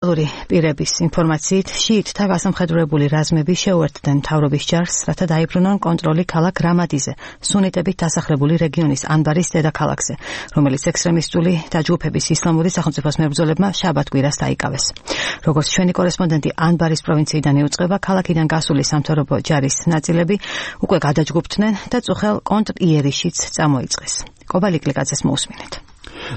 ოფიციალური პირების ინფორმაციით, შიიტთა გასამხედროებული რაზმები შეუერთდნენ მთავრობის ჯარს, რათა დაიბრუნონ კონტროლი ქალაქ რამადიზე, სუნიტებით დასახლებული რეგიონის ანბარის დედაქალაქზე, რომელიც ექსტრემისტული დაჯგუფების ისლამური სახელმწიფოს მებრძოლებმა შაბათ-კვირას დაიკავეს. როგორც ჩვენი კორესპონდენტი ანბარის პროვინციიდან იუწყება, ქალაქიდან გასული სამთავრობო ჯარის ნაწილები უკვე გადაჯგუფდნენ და წუხელ კონტრიერიშიც წამოიწყეს. კობალიკლიკაძეს მოусმინეთ.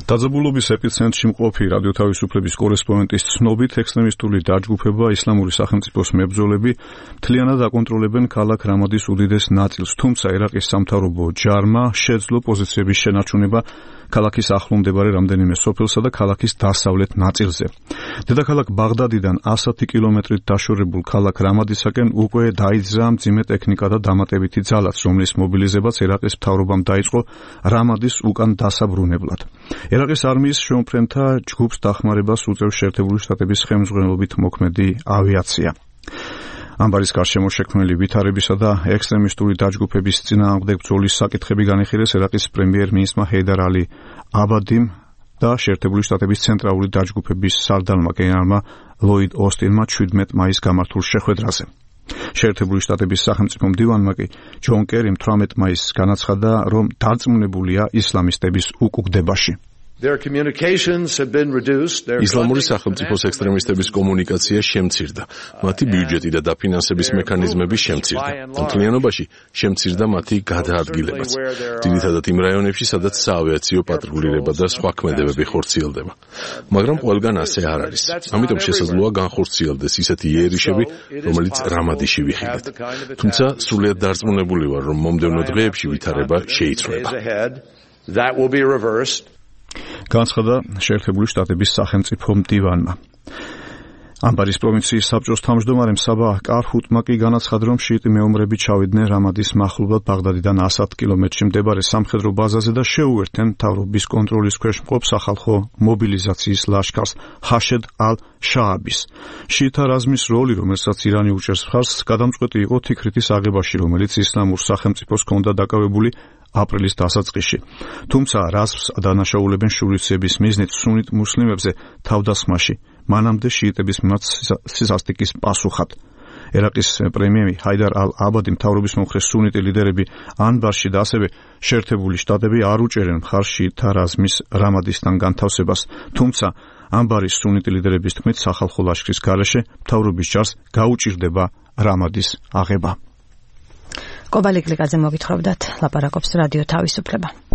დაძაბულობის ეპიცენტრში მყოფი რადიო თავისუფლების კორესპონდენტის ცნობით, ექსტრემისტული დაჯგუფება ისლამური სახელმწიფოს მებრძოლები მთლიანად აკონტროლებენ ქალაქ რამადის უდიდეს ნაწილს, თუმცა ერაყის სამთავრობო ჯარმა შეძლო პოზიციების შენარჩუნება ქალაქის ახლო მდებარე რამდენიმე სოფელსა და ქალაქის დასავლეთ ნაწილზე. დედაქალაქ ბაღდადიდან 100 კილომეტრით დაშორებულ ქალაქ რამადისაკენ უკვე დაიძრა მძიმე ტექნიკა და დამატებითი ძალაც, რომლის მობილიზებაც ერაყის მთავრობამ დაიწყო რამადის უკან დასაბრუნებლად. ერაყის არმიის შემოფრენთა ჯგუფს დახმარებას უწევს შეერთებული შტატების ხელმძღვანელობით მოქმედი ავიაცია. ანბარის გარშემო შექმნილი ვითარებისა და ექსტრემისტული დაჯგუფების წინააღმდეგ ბრძოლის საკითხები განიხილეს ერაყის პრემიერ-მინისტრმა ჰეიდარ ალი აბადიმ და შეერთებული შტატების ცენტრალური დაჯგუფების სარდალმა გენერალმა ლოიდ ოსტინმა 17 მაისს გამართულ შეხვედრაზე. შეერთებული შტატების სახელმწიფო მდივანმა კი ჯონ კერიმ 18 მაისს განაცხადა, რომ დარწმუნებულია ისლამისტების უკუგდებაში. ისლამური სახელმწიფოს ექსტრემისტების კომუნიკაცია შემცირდა, მათი ბიუჯეტი და დაფინანსების მექანიზმები შემცირდა. მთლიანობაში შემცირდა მათი გადაადგილებაც, ძირითადად იმ რაიონებში, სადაც საავიაციო პატრულირება და სხვა ქმედებები ხორციელდება. მაგრამ ყველგან ასე არ არის. ამიტომ შესაძლოა განხორციელდეს ისეთი იერიშები, რომელიც რამადიში ვიხილეთ. თუმცა სრულიად დარწმუნებული ვარ, რომ მომდევნო დღეებში ვითარება შეიცვლება. განცხადა შეერთებული შტატების სახელმწიფო მდივანმა. ანბარის პროვინციის საბჭოს თავმჯდომარემ საბა კარჰუტმა კი განაცხადა, რომ შიიტი მეომრები ჩავიდნენ რამადის მახლობლად ბაღდადიდან 100 კილომეტრში მდებარე სამხედრო ბაზაზე და შეუერთდნენ მთავრობის კონტროლის ქვეშ მყოფ სახალხო მობილიზაციის ლაშქარს ჰაშედ ალ-შააბის. შიიტთა რაზმის როლი, რომელსაც ირანი უჭერს მხარს, გადამწყვეტი იყო თიქრითის აღებაში, რომელიც ისლამურ სახელმწიფოს ჰქონდა დაკავებული აპრილის დასაწყისში. თუმცა რაზმს დანაშაულებენ შურისძიების მიზნით სუნით მუსლიმებზე თავდასხმაში, მანამდე შიიტების მიმართ სისასტიკის პასუხად. ერაყის პრემიერი ჰაიდარ ალ-აბადი მთავრობის მომხრე სუნიტი ლიდერები ანბარში და ასევე შეერთებული შტატები არ უჭერენ მხარს შიიტთა რაზმის რამადისთან განთავსებას, თუმცა ანბარის სუნიტი ლიდერების თქმით სახალხო ლაშქრის გარეშე მთავრობის ჯარს გაუჭირდება რამადის აღება. კობალიკლიკაძე მოგითხრობდათ, ლაპარაკობს რადიო თავისუფლება.